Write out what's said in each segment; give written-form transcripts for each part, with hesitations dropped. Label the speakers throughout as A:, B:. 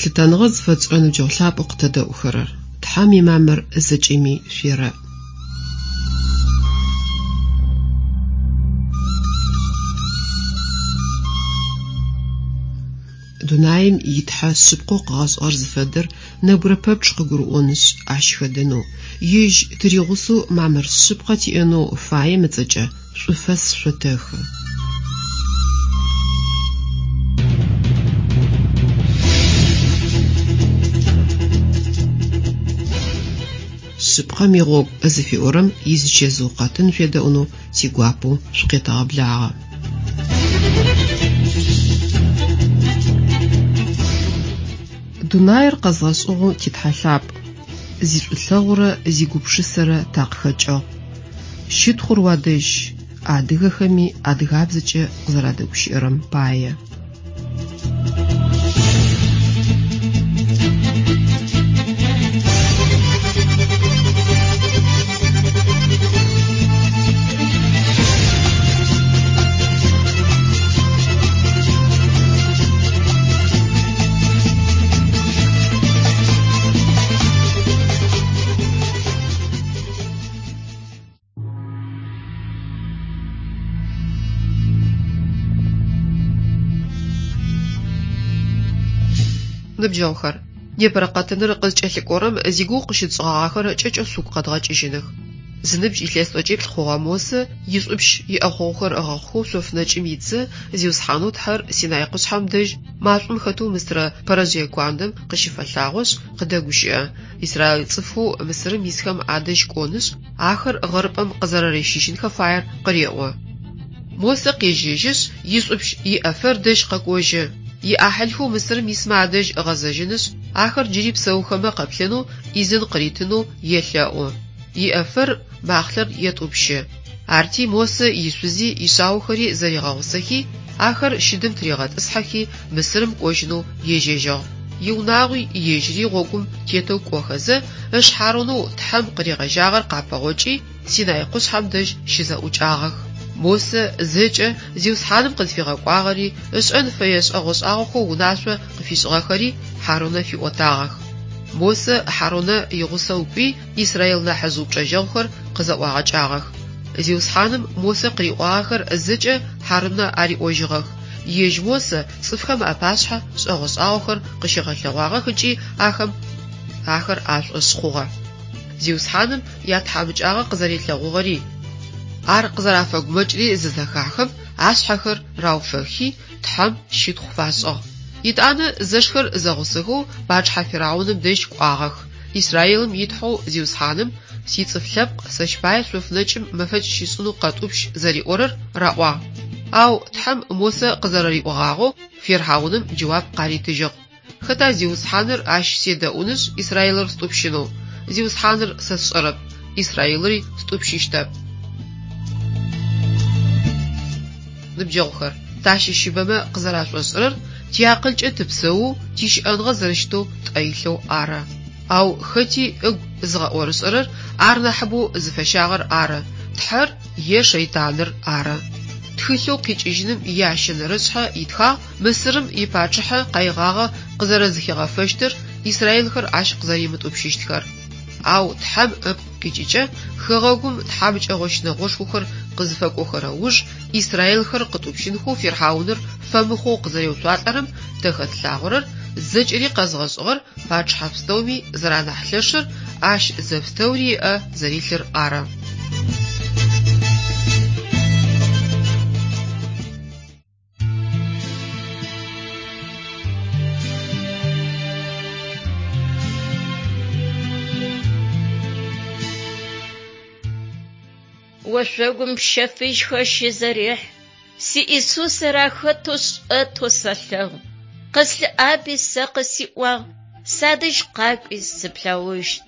A: Лъытэныгъэ зыфэтшӏырэ ныбджэгъу лъапӏэу къытэдэӏухэрэр! Тхьэм имамыр зэкӏэми шъуерэӏ. Дунаим и Тхьэ шъыпкъэу къыгъэшӏыгъэр зыфэдэр нэбгырэ пэпчъ къыгурыӏонышъ, ащ хэдэнэу, Ежь тыригъусэу мамыр шъыпкъэ тиӏэнэу фаем ыцӏэкӏэ шӏуфэс шъотэхы. Шъыпкъэм игъогу зыфиӏорэм изычэзыу къэтын шъуедэӏунэу тигуапэу шъукъетэгъэблагъэ. Дунаир къэзгъэшӏыгъэу ти Тхьэ лъапӏ, зишӏулъэгъурэ зигупшысэрэ такъыхэкӏыгъ. Щытхъур уадэжь, адыгэхэми адыгабзэкӏэ къызэрадэгущыӏэрэм пае. Ныбджэгъухэр, непэрэ къэтыныр къызкӏэлъыкӏорэм зигугъу къыщытшӏыгъагъэхэр кӏэкӏэу шъугу къэдгъэкӏыжьыных. Зыныбжь илъэс тӏокӏиплӏ хъугъэ Мосэ ишӏупщ иӏэхъогъухэр ыгъэхъухэу шъоф нэкӏым итзэ, Зиусхьанэу Тхьэр Синай къушъхьэм дэжь машӏом хэтэу мыстырэ пэрэжъые куандэм къыщыфэлъагъошъ, къыдэгущыӏэ. Израил цӏыфхэу Мысырым исхэм адэжь кӏонышъ, ахэр гъэрыпӏэм къызэрэрищыжьынхэ фаер къыреӏо. Мосэ къежьэжьышъ, ишӏупщ Иэфэр дэжь къэкӏожьы. Иӏахьылхэу Мысырым исмэ адэжь ыгъэзэжьынышъ, ахэр джыри псэухэмэ къэплъэнэу ӏизын къыритынэу елъэӏу. Иэфэр махълъэр етӏупщы. Арти Мосэ ишъузи ишъаохэри зэригъэгъусэхи, ахэр щыдым тыригъэтӏысхьэхи, Мысырым кӏожьынэу ежьэжьыгъ. Иунагъуи ежьыри гъогум тетэу кӏохэзэ, ыш Хьарунэу Тхьэм къыригъэжьагъэр къапэгъокӏи, Синай къушъхьэм дэжь щызэӏукӏагъэх. Мосэ зэкӏэ Зиусхьаным къызфигъэкӏуагъэри, ышӏэн фэе шӏэгъо-шӏагъохэу унашъо къыфишӏыгъэхэри Хьарунэ фиӏотагъэх. Мосэ Хьарунэ игъусэу кӏуи, Израил нахьыжъ упчӏэжьэгъухэр къызэӏуагъэкӏагъэх. Зиусхьаным Мосэ къыриӏуагъэхэр зэкӏэ Хьарунэ ариӏожьыгъэх. Ежь Мосэ цӏыфхэм апашъхьэ шӏэгъо-шӏагъохэр къыщигъэлъэгъуагъэх ыкӏи ахэм ахэр ашӏошъ хъугъэ. Зиусхьаным ятхьамыкӏагъэ къызэрилъэгъугъэри, ар къызэрафэгумэкӏри зызэхахым, ашъхьэхэр рауфэхи, Тхьэм щытхъу фашӏыгъ. Етӏанэ зэшхэр зэгъусэхэу пачъыхьэ фирхьауным дэжь кӏуагъэх. Израилым и Тхьэу Зиусхьаным сицӏыф лъэпкъ сэщ пае шъоф нэкӏым мэфэкӏ щишӏынэу къэтӏупщ зэриӏорэр раӏуагъ. Ау Тхьэм Мосэ къызэрэриӏогъагъэу фирхьауным джэуап къаритыжьыгъ. Хэта Зиусхьаныр ащ седэӏунышъ Израилыр стӏупщынэу? Зиусхьаныр сэ сшӏэрэп, Израилыри стӏупщыщтэп. Ныбджэгъухэр, тащыщыбэмэ къызэрашӏошӏырэр тиакъылкӏэ тыпсэоу, тищыӏэныгъэ зэрэщытэу тӏэ илъэу ары. Ау хэти ыгу зыгъэӏорышӏэрэр ар нахьыбэу зыфэщагъэр ары, Тхьэр е шэйтаныр ары. Тхылъэу Къикӏыжьыным иящэнэрэшъхьэ итхагъ Мысырым ипачъыхьэ къаигъагъэ къызэрэзыхигъэфэщтыр, израилхэр ащ къызэримытӏупщыщтхэр. Ау Тхьэм ыпкъ къикӏыкӏэ хэгъэгум тхьамыкӏэгъо щынэгъошхохэр къызыфэкӏохэрэ уж израилхэр къытӏупщынхэу фирхьауныр фэмыхъоу къызэреуцуалӏэрэм тэ хэтлъагъорэр зэкӏэри къэзгъэшӏыгъэр пачъыхьэ пстэуми зэранахь лъэшыр, ащ зэпстэури ыӏэ зэрилъыр ары.
B: Ошъогум пщэ фыжьхэр щызэрехь, Си Исусыр ахэтэу шӏэтэу сэлъэгъу. Къыслъыӏаби сэ къысиӏуагъ, Садэжь къакӏуи сыплъэгъущт.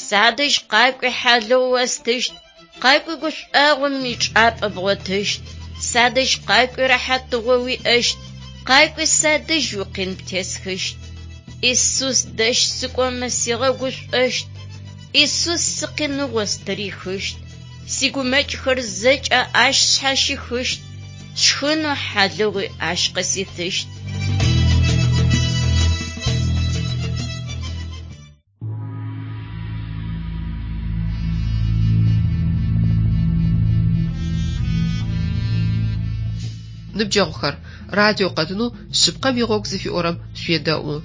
B: Садэжь къакӏуи хьалыгъу остыщт, Къакӏуи гушӏуагъом ичӏапӏэ бгъотыщт. Садэжь къакӏуи рэхьатыгъо уиӏэщт, Къакӏуи садэжь уикъин птесхыщт. Исус дэжь сыкӏомэ сигъэгушӏощт, Исус сикъиныгъо стырихыщт. Сигумэкӏхэр зэкӏэ ащ сшъхьащихыщт, Сшхынэу хьалыгъуи ащ къыситыщт.
A: Ныбджэгъухэр, радио къэтынэу Шъыпкъэм игъогу зыфиӏорэм шъуедэӏу.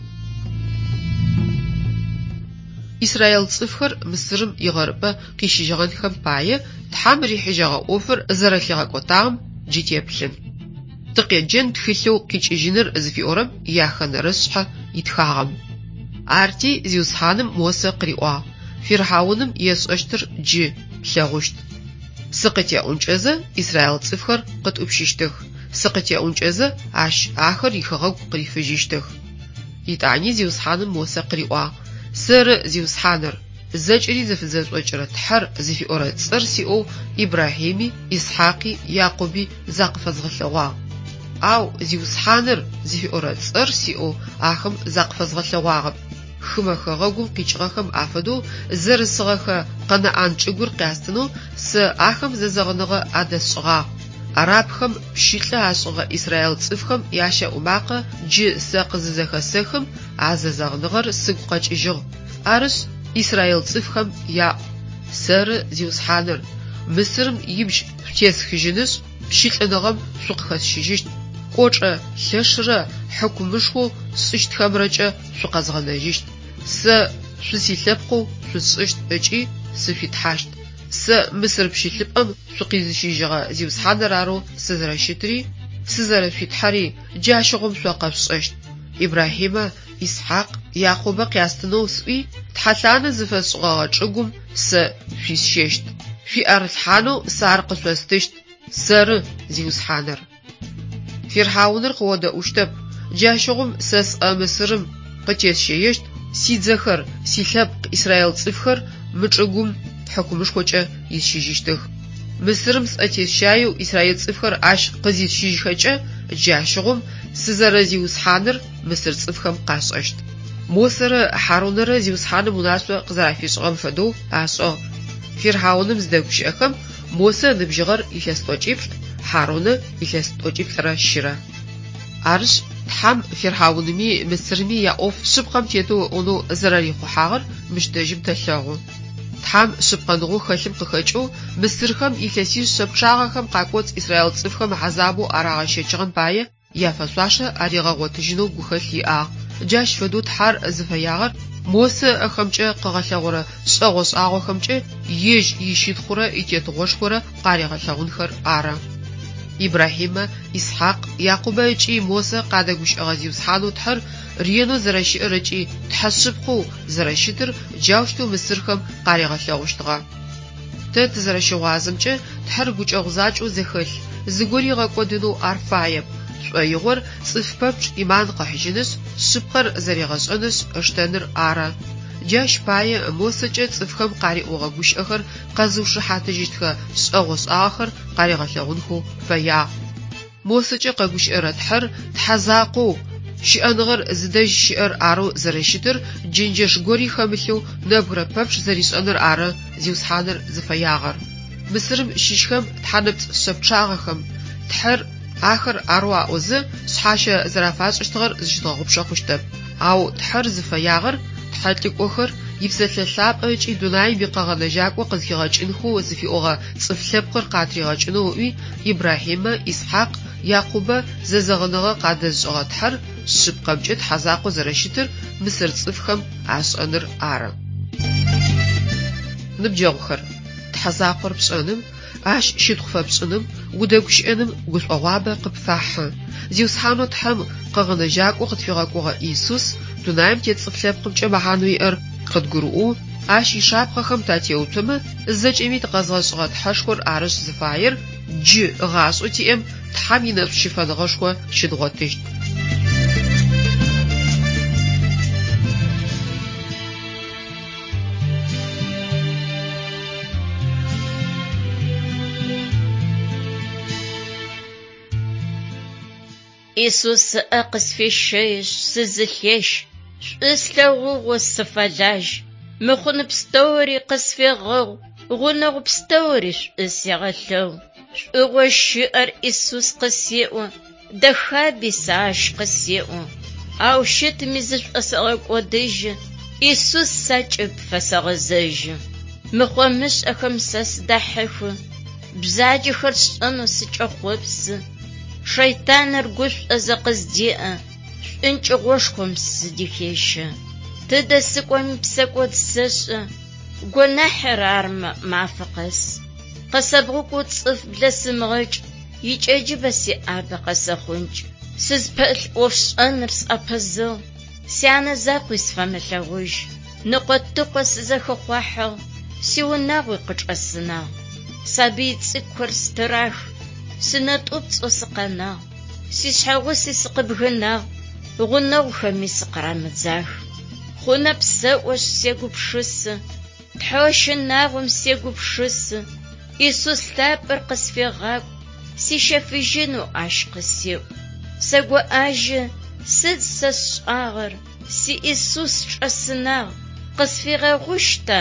A: Израил цӏыфхэр Мысырым игъэрыпӏэ къищыжьыгъэнхэм пае Тхьэм рихьыжьэгъэ ӏофыр зэрэлъигъэкӏотагъэм джы теплъын. Тыкъеджэн тхылъэу Къикӏыжьыныр зыфиӏорэм яхэнэрэ шъхьэ итхагъэм. Арти Зиусхьаным Мосэ къыриӏуагъ, Фирхьауным есшӏэщтыр джы плъэгъущт. Сыкъытеӏункӏэзэ израил цӏыфхэр къытӏупщыщтых, сыкъытеӏункӏэзэ ащ ахэр ихэгъэгу къырифыжьыщтых. Етӏани Зиусхьаным Мосэ къыриӏуагъ, Сэры Зиусхьаныр, зэкӏэри зыфызэшӏокӏырэ Тхьэр зыфиӏорэ цӏэр сиӏэу Ибрахьими, Исхьакъи, Якъуби закъыфэзгъэлъэгъуагъ. Ау Зиусхьаныр зыфиӏорэ цӏэр сиӏэу ахэм закъыфэзгъэлъэгъуагъэп. Хымэ хэгъэгум къикӏыгъэхэм афэдэу зэрысыгъэхэ Къэнаӏан чӏыгур къястынэу сэ ахэм зэзэгъыныгъэ адэсшӏыгъагъ. Арабхэм пщылӏы ашӏыгъэ израил цӏыфхэм ящэӏу макъэ джы сэ къызызэхэсэхым, а зэзэгъыныгъэр сыгу къэкӏыжьыгъ. Арышъ, израил цӏыфхэм яӏу, Сэры Зиусхьаныр, Мысырым ибжь шъутесхыжьынышъ, пщылӏыныгъэм шъукъыхэсщыжьыщт, кӏочӏэ лъэшрэ хьыкумышхоу сшӏыщтхэмрэкӏэ шъукъэзгъэнэжьыщт. Сэ шъусилъэпкъэу шъусшӏыщт ыкӏи сышъуи Тхьэщт. Сэ Мысыр пщылӏыпӏэм шъукъизыщыжьыгъэ Зиусхьаныр арэу сызэрэщытри, сызэрэшъуи Тхьэри джащыгъум шъо къэшъушӏэщт. Ибрахьимэ, Исхьакъ, Якъубэ къястынэу сӏуи, тхьэлъанэ зыфэсшӏыгъэгъэ чӏыгум сэ шъуисщэщт. Шъуиӏэрылъхьанэу сэ ар къышъостыщт. Сэры, Зиусхьаныр. Фирхьауныр къыодэӏущтэп, джащыгъум сэ сӏэ Мысырым къытесщэещт, сидзэхэр, силъэпкъ израил цӏыфхэр мы чӏыгум хьыкумышхокӏэ исщыжьыщтых. Мысырым сӏэ тесщаеу израил цӏыфхэр ащ къызисщыжьхэкӏэ, джащыгъум сызэрэзиусхьаныр мысыр цӏыфхэм къашӏэщт. Мосэрэ Хьарунэрэ Зиусхьаным унашъо къызэрафишӏыгъэм фэдэу ашӏыгъ. Фирхьауным зыдэгущыӏэхэм Мосэ ыныбжьыгъэр илъэс тӏокӏиплӏ, Хьарунэ илъэс тӏокӏиплӏырэ щырэ. Арышъ, Тхьэм Фирхьауными Мысырми яӏоф шъыпкъэм тетэу ыӏонэу зэрэрихъухьагъэр мыщ дэжьым тэлъэгъу. Тхьэм шъыпкъэныгъэу хэлъым къыхэкӏэу мысырхэм илъэсишъэ пчъагъэхэм къакӏоцӏ израил цӏыфхэм хьазабэу арагъэщэчыгъэм пае яфэшъуашэ аригъэгъотыжьынэу гухэлъ иӏагъ. Джащ фэдэу Тхьэр зыфэягъэр Мосэ ыӏэхэмкӏэ къыгъэлъэгъорэ шӏэгъо-шӏагъохэмкӏэ ежь ищытхъурэ итетыгъошхорэ къаригъэлъэгъунхэр ары. Ибрахьимэ, Исхьакъ, Якъубэ ыкӏи Мосэ къадэгущыӏэгъэ Зиусхьанэу Тхьэр ренэу зэрэщыӏэр ыкӏи Тхьэ шъыпкъэу зэрэщытыр джаущтэу мысырхэм къаригъэлъэгъущтыгъэ. Тэ тызэрэщыгъуазэмкӏэ, Тхьэр гукӏэгъу закӏэу зэхэлъ, зыгори ыгъэкӏодынэу ар фаеп, шӏоигъор цӏыф пэпчъ ӏиман къыхьыжьынышъ, шъыпкъэр зэригъэшӏэнышъ ыштэныр ары. Джащ пае Мосэкӏэ цӏыфхэм къариӏогъэ гущыӏэхэр къэзыушыхьатыжьыщтхэ шӏэгъо-шӏагъэхэр къаригъэлъэгъунхэу фэягъ. Мосэкӏэ къэгущыӏэрэ Тхьэр Тхьэ закъоу, щыӏэныгъэр зыдэжь щыӏэр арэу зэрэщытыр джэнджэш гори хэмылъэу нэбгырэ пэпчъ зэришӏэныр ары Зиусхьаныр зыфэягъэр. Мысырым щыщхэм тхьэнэпцӏ шъэ пчъагъэхэм Тхьэр ахэр арэу аӏозэ, шъхьащэ зэрафашӏыщтыгъэр зыщыдгъэгъупшэ хъущтэп. Ау Тхьэр зыфэягъэр тхьэлӏыкӏохэр, ипсэлъэ лъапӏэ ыкӏи дунаим икъэгъэнэжьакӏо къызхигъэкӏынхэу зыфиӏогъэ цӏыф лъэпкъыр къатригъэкӏынэу ыӏуи, Ибрахьимэ, Исхьакъ, Якъубэ зэзэгъыныгъэ къадэзышӏыгъэ Тхьэр шъыпкъэмкӏэ Тхьэ закъоу зэрэщытыр мысыр цӏыфхэм ашӏэныр ары. Ныбджэгъухэр, Тхьэ закъор пшӏэным, Ащ щытхъу фэпшӏыным, удэгущыӏэным гушӏогъуабэ къыпфахьы. Зиусхьанэу Тхьэм Къэгъэнэжьакӏоу къытфигъэкӏогъэ Иисус дунаим тет цӏыф лъэпкъымкӏэ мэхьанэу иӏэр къыдгурыӏоу, Ащ ишапхъэхэм татеуцомэ, зэкӏэми тыкъэзгъэшӏыгъэ Тхьэшхор арышъ зыфаер, джы гъашӏэу тиӏэм Тхьэм инэшӏу щыфэныгъэшхо щыдгъотыщт.
B: Исус ыӏэ къысфещэишъ, сызылъещ, шӏу слъэгъугъэу сыфэлажь. Мыхъун пстэури къысфегъэгъу, гъунэгъу пстэури шӏу сегъэлъэгъу. Шӏугъэу щыӏэр Исус къысеӏо, дэхаби сэ ащ къысеӏо. Ау щытми зышӏосэгъэкӏодыжьы, Исус сакӏыб фэсэгъэзэжьы. Мыхъо-мышӏэхэм сэ сыдахьыхы, бзаджэхэр сшӏэнэу сыкӏэхъопсы. Шэйтаныр гушӏозэ къыздеӏэ, шӏункӏыгъошхом сыдыхещэ. Тыдэ сыкӏоми псэкӏод сэшӏэ, гонахьыр армэ мафэ къэс. Къысэбгъукӏоу цӏыф блэсымыгъэкӏ, икӏэджыбэ сиӏабэ къэсэхъункӏ. Сызпэӏулъ ӏофшӏэныр сӏэпызыгъ, сянэ закъуи сфэмылъэгъужь. Ныкъо-тыкъо сызэхэхъуахьыгъ, сиунагъуи къычӏэсынагъ. Сабый цӏыкӏухэр стырах, сынэтӏупцӏэу сыкъэнагъ. Сишъхьэгъуси сыкъыбгынагъ, гъунэгъухэми сыкъырамыдзах. Хъунэп сэӏошъ сегупшысэ, Тхьэу щынагъом сегупшысэ, Исус лъапӏэр къысфегъакӏу, сищэфыжьынэу Ащ къысеӏу. Сэгоӏажьы, сыд сэ сшӏагъэр, си Исус чӏэсынагъ, къысфигъэгъущта?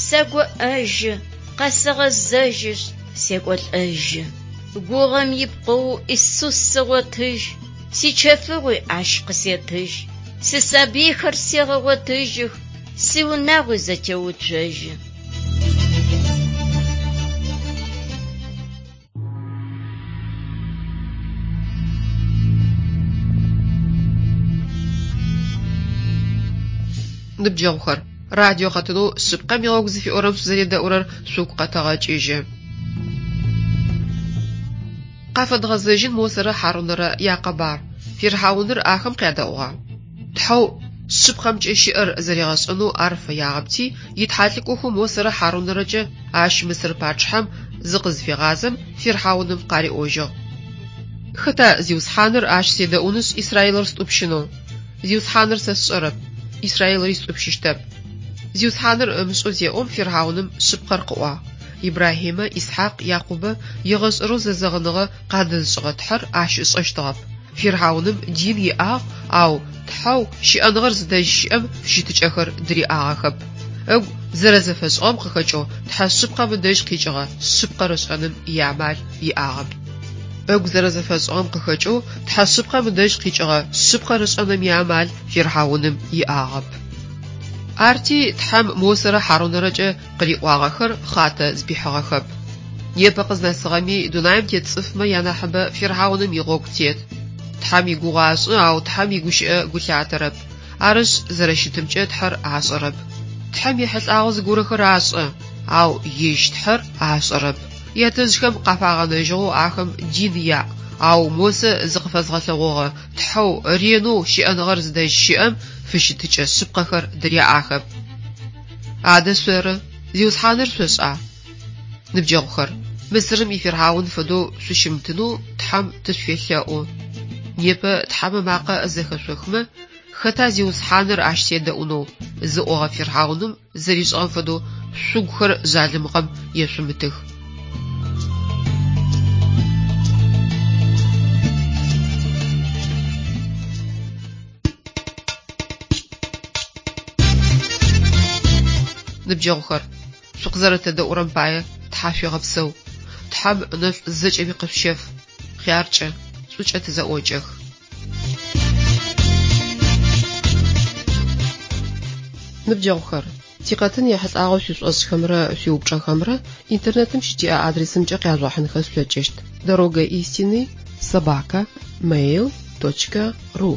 B: Сэгоӏэжьы, къэсэгъэзэжьышъ, секӏолӏэжьы. Гугъэм ипкъэу Исус сэгъотыжь, сичэфыгъуи Ащ къысетыжь. Сисабыйхэр сегъэгъотыжьых, сиунагъуи зэтеуцожьы.
A: Ныбджэгъухэр, радио къэтынэу Шъыпкъэм игъогу зыфиӏорэм шъузэредэӏурэр шъугу къэтэгъэкӏыжьы. Къафэдгъэзэжьын Мосэрэ Хьарунэрэ якъэбар. Фирхьауныр ахэм къядэӏугъа? Тхьэу шъыпкъэмкӏэ щыӏэр зэригъэшӏэнэу ар фэягъэпти, итхьалӏыкӏохэу Мосэрэ Хьарунэрэкӏэ ащ Мысыр пачъыхьэм зыкъызыфегъазэм, фирхьауным къариӏожьыгъ. Хэта Зиусхьаныр ащ седэӏунышъ Израилыр стӏупщынэу? Зиусхьаныр сэ сшӏэрэп, Израилыри стӏупщыщтэп. Зиусхьаныр ымышӏэу зеӏом, фирхьауным шъыпкъэр къыӏуагъ. Ибрахьимэ, Исхьакъ, Якъубэ егъэшӏэрэу зэзэгъыныгъэ къадэзышӏыгъэ Тхьэр ащ ышӏэщтыгъэп. Фирхьауным дин иӏагъ, ау Тхьэу щыӏэныгъэр зыдэжь щыӏэм фыщытыкӏэхэр дыриӏагъэхэп. Ыгу зэрэзэфэшӏыгъэм къыхэкӏэу Тхьэ шъыпкъэм ыдэжь къикӏыгъэ шъыпкъэр ышӏэным иамал иӏагъэп. Ыгу зэрэзэфэшӏыгъэм къыхэкӏэу Тхьэ шъыпкъэм ыдэжь къикӏыгъэ шъыпкъэр ышӏэным иамал фирхьауным иӏагъэп. Арти Тхьэм Мосэрэ Хьарунэрэкӏэ къыриӏуагъэхэр хъатэ зыпихьыгъэхэп. Непэ къызнэсыгъэми дунаим тет цӏыфмэ янахьыбэ фирхьауным игъогу тет. Тхьэм игугъу ашӏы, ау Тхьэм игущыӏэ гу лъатэрэп. Арышъ, зэрэщытымкӏэ Тхьэр ашӏэрэп. Тхьэм ехьылӏагъэу зыгорэхэр ашӏэ, ау ежь Тхьэр ашӏэрэп. Ятэжъхэм къафагъэнэжьыгъэу ахэм дин яӏ, ау Мосэ зыкъыфэзгъэлъэгъогъэ Тхьэу ренэу щыӏэныгъэр зыдэжь щыӏэм фыщытыкӏэ шъыпкъэхэр дыряӏахэп. Адэ шъоры, Зиусхьаныр шъошӏа? Ныбджэгъухэр, Мысырым ифирхьаун фэдэу шъущымытынэу Тхьэм тышъуфелъэӏу. Непэ Тхьэм ымакъэ зэхэшъохмэ, хэта Зиусхьаныр ащ седэӏунэу зыӏогъэ фирхьауным зэришӏыгъэм фэдэу шъугухэр жъалымыгъэм ешъумытых. Ныбджэгъухэр, шъукъызэрэтэдэӏурэм пае тхьашъуегъэпсэу. Тхьэм ынэшӏу зэкӏэми къышъущеф. Хъяркӏэ, шӏукӏэ тызэӏокӏэх. Ныбджэгъухэр, тикъэтын ехьылӏагъэу шъуишӏошӏхэмрэ шъуиупчӏэхэмрэ интернетым щытиӏэ адресымкӏэ къяжъугъэхьынхэ шъулъэкӏыщт: Дорога истины собака mail точка ру.